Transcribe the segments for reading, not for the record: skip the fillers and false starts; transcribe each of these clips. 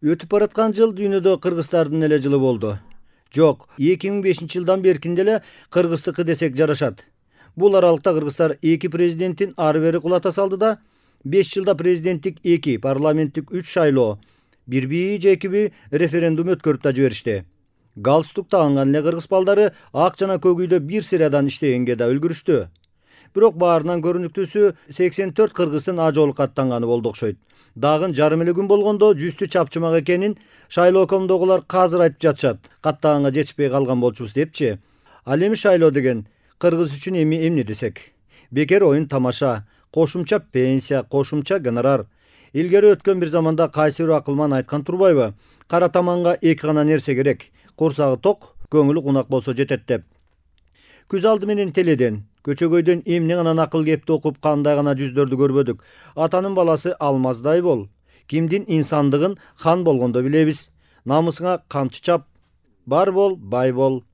Өтүп бараткан жыл дүйнөдө кыргыздардын эле жылы болду. Жок, 2005-жылдан беркин деле кыргыздыкы десек жарашат. Бул аралыкта кыргыздар 2 президенттин ары бери кулата салды да, 5 жылда президенттик 2, парламенттик 3 шайлоо, бирби же экиби референдум өткөрүп да жиберишти. Галстук тагынган эле кыргыз балдары ак жана көк үйдө бир сырадан иштегенге да үлгүрүштү. Бирок баарынан көрүнүктүүсү 84 кыргыздын ажоолук аттанганы болду окшойт. Дагы жарым эле күн болгондо жүздү чапчымак экенин шайлоо комдогулар казыр айтып жатышат. Каттаганга жетишпей калган болчубуз депчи. Ал эми шайлоо деген кыргыз үчүн эмне десек? Бекер оюн тамаша, кошумча пенсия, кошумча гонорар. Илгери өткөн бир заманда кайсы бир акылман айткан турбайбы? Кара таманга эки гана нерсе керек. Курсагы ток, көңүлү кунак болсо жетет деп. Күз алды менен теледен, көчөгөйдөн эмне гана накыл кепти окуп кандай гана жүздөрдү көрбөдүк. Атанын баласы алмаздай бол. Кимдин инсандыгын хан болгондо билебиз. Намысыңа камчы чап. Бар бол, бай бол.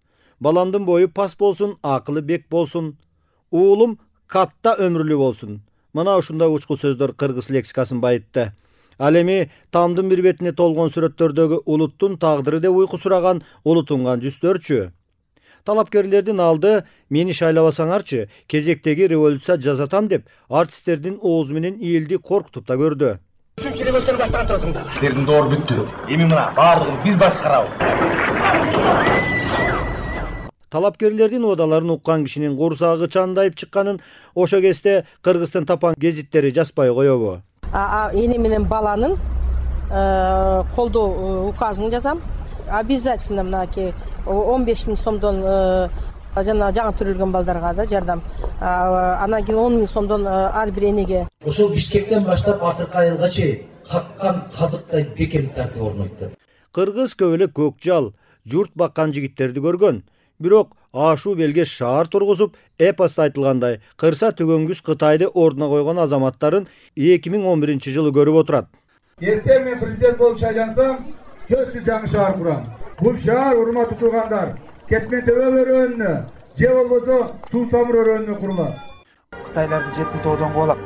Баламдын бою пас болсун, акылы бек болсун. Уулум катта өмүрлүү болсун. Мына ушундай учку сөздөр кыргыз лексикасын байытты. Ал эми тамдын бир бетине толгон сүрөттөрдөгү улуттун тагдыры деп уйку сураган улутунган жүздөрчү. Талапкерлердин алды мени шайлабасаңарчы, кезектеги революция жасатам деп артисттердин оозу менен элди коркутуп да көрдү. 3-революцияны баштаган турасыңдар. Силердин доор бүттү. Эми мына баардыгын биз башкарабыз. Талапкерлердин оодаларын уккан кишинин курсагы чандайып чыкканын ошо кезде Кыргыздын тапан гезиттери жазбай коебу. Эне менен баланын колдоо указын жазам. Обязательно мынакей 15 000 сомдон жана жаңы төрөлгөн балдарга да жардам. Анан кийин 10 000 сомдон ар бир энеге. Ошол Бишкектен баштап акыркы айылга чейин каккан казыктай бекем тартып орнойтты. Кыргыз көп эле көк жал, журт баккан жигиттерди көргөн. Бирок ашуу белге шаар тургузуп, эпоста айтылгандай, кырса түгөнгүс Кытайды ордуна койгон азаматтарын 2011-жылы көрүп отурат. Эртең мен президент болуп шайлансам, сөзсүз жаңы шаар курам. Бул шаар урматтуу тургандар, Кетмен Төбө өрөөнүнө, же болбосо Суу Самыр өрөөнүнө курулат. Кытайларды жетин тоодон кубалап.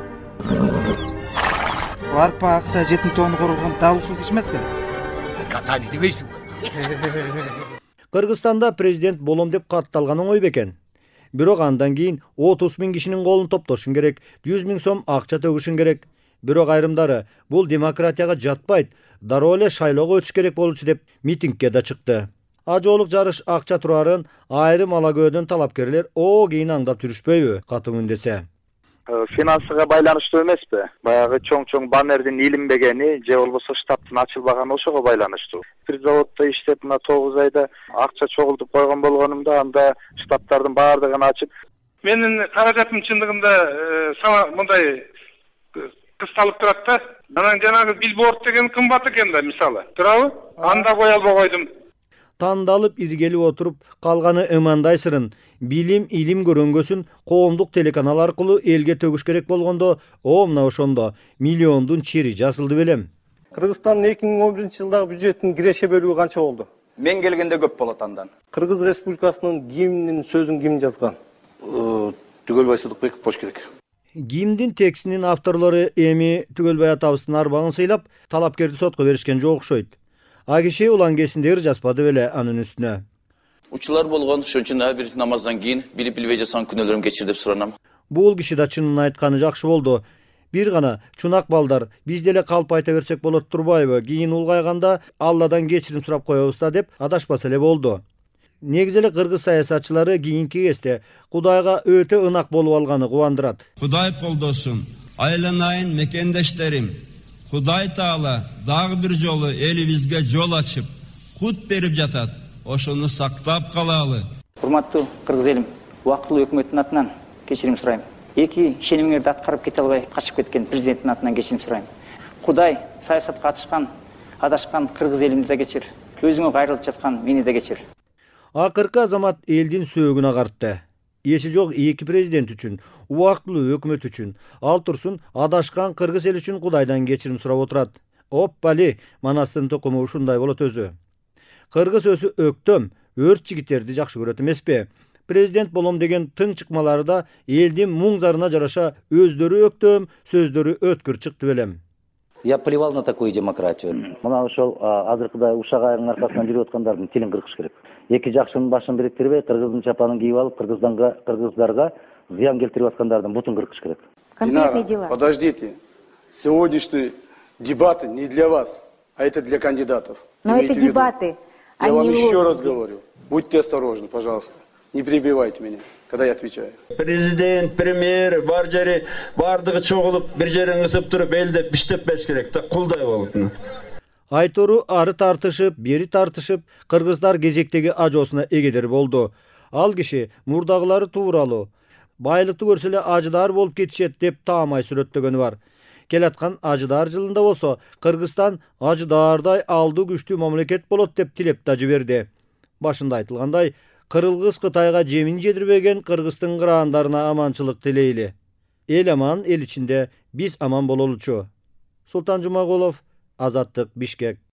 Арпа акса жетин тоону коргон дал ушул киши эмес беле? Катани дебейсиң. Кыргызстанда президент болом деп катталган оңой бекен. Бирок андан кийин 30 000 кишинин колун топтошуң керек, 100 000 сом акча төгүшүң керек. Бирок айрымдары бул демократияга жатпайт, дароо эле шайлоого өтүш керек болчу деп митингке да чыкты. Ажоолук жарыш акча турарын айрым алагөөдөн талапкерлер кийин аңдап жүрүшпөйбү, катуу үндесе. Финансыга байланыштуу эмеспи? Баягы чоң баннердин илинбегени же болбосо штабтын ачылбаганы ошого байланыштуу. Бир заводдо иштеп мына 9 айда акча чогултуп койгон болгонумда анда штабтардын баардыгын ачып, менин каражатым чындыгында мындай кысталып турат да. Анан жанагы билборд деген кымбат экен да, мисалы. Турабы? Анда кое албай койдум. Тандалып иргелип отуруп калганы ымандай сырын, билим, илим көрөнгөсүн коомдук телеканал аркылуу элге төгүш керек болгондо, мына ошондо миллиондун чири жасылды белем. Кыргызстандын 2011-жылдагы бюджеттин киреше бөлүгү канча болду? Мен келгенде көп болот андан. Кыргыз Республикасынын гимнинин сөзүн ким жазган? Түгөлбай Сыдыкбеков болуш керек. Гимндин текстинин авторлору эми Түгөлбай атабыздын арбагын сыйлап, талапкерди сотко беришкен жок окшойт. А киши улангесиндегир жазбады беле анын үстүнө. Учулар болгон, ошон үчүн ар бир намаздан кийин билип-билбей жасаган күнөөлөрүм кечир деп суранам. Бул киши да чынын айтканы жакшы болду. Бир гана чунак балдар, биз деле калп айта берсек болот турбайбы? Кийин улгайганда Алладан кечирим сурап коебуз да деп адашпаса эле болду. Негизи эле кыргыз саясатчылары кийинки кезде Кудайга өтө ынак болуп алганы кубандырат. Кудай колдосун, айланайын мекендештерим. Кудай Таала дагы бир жолу элибизге жол ачып, кут берип жатат. Ошону сактап калалы. Урматтуу кыргыз элим, убактылуу өкмөттүн атынан кечирим сурайм. Эки ишенимдерди аткарып кете албай качып кеткен президенттин атынан кечирим сурайм. Кудай саясатка адашкан кыргыз элимди да кечир. Өзүңө кайрылып жаткан мени да кечир. Акыркы азамат элдин сөөгүн агартты. Эси жок эки президент үчүн, убактылуу өкмөт үчүн, ал турсун адашкан кыргыз эл үчүн Кудайдан кечирим сурап отурат. Оппали, Манастын тукуму ушундай болот өзү. Кыргыз өзү өктөм, өрт жигиттерди жакшы көрөт эмеспи? Президент болом деген тың чыкмалары да элдин муң зарына жараша өздөрү өктөм, сөздөрү өткүр чыкты белем. Я плевал на такую демократию. Мына ошол азыркыдай ушак айрынын аркасынан жүрүп аткандардын тилин кыркыш керек. Эки жакшынын башын бириктирбей, кыргыздын чапанын кийип алып, кыргыздарга зыян келтирип аткандардын бутун кыркыш керек. Конкретные дела. Подождите. Сегодняшние дебаты не для вас, а это для кандидатов. Но это дебаты. Я вам еще раз говорю. Будьте осторожны, пожалуйста. Не перебивайте меня, когда я отвечаю. Президент, премьер, бар жери бардыгы чогулуп, бир жерин ысып туруп, элде биштеп бериш керек да, кулдай болуп. Айтору ары тартышып, бери тартышып, кыргыздар кезектеги ажоосуна эгедер болду. Ал киши мурдагылары тууралуу, байлыкты көрсө эле ажыдар болуп кетишет деп таамай сүрөттөгөнү бар. Келаткан ажыдар жылында болсо, Кыргызстан ажыдардай алдуу күчтүү мамлекет болот деп тилеп да жиберди. Башында айтылгандай, Кыргыз Кытайга жемин жедирбеген Кыргыздын кыраандарына аманчылык тилейли. Эл аман, эл ичинде биз аман бололучу. Султан Жумагулов, Азаттык, Бишкек.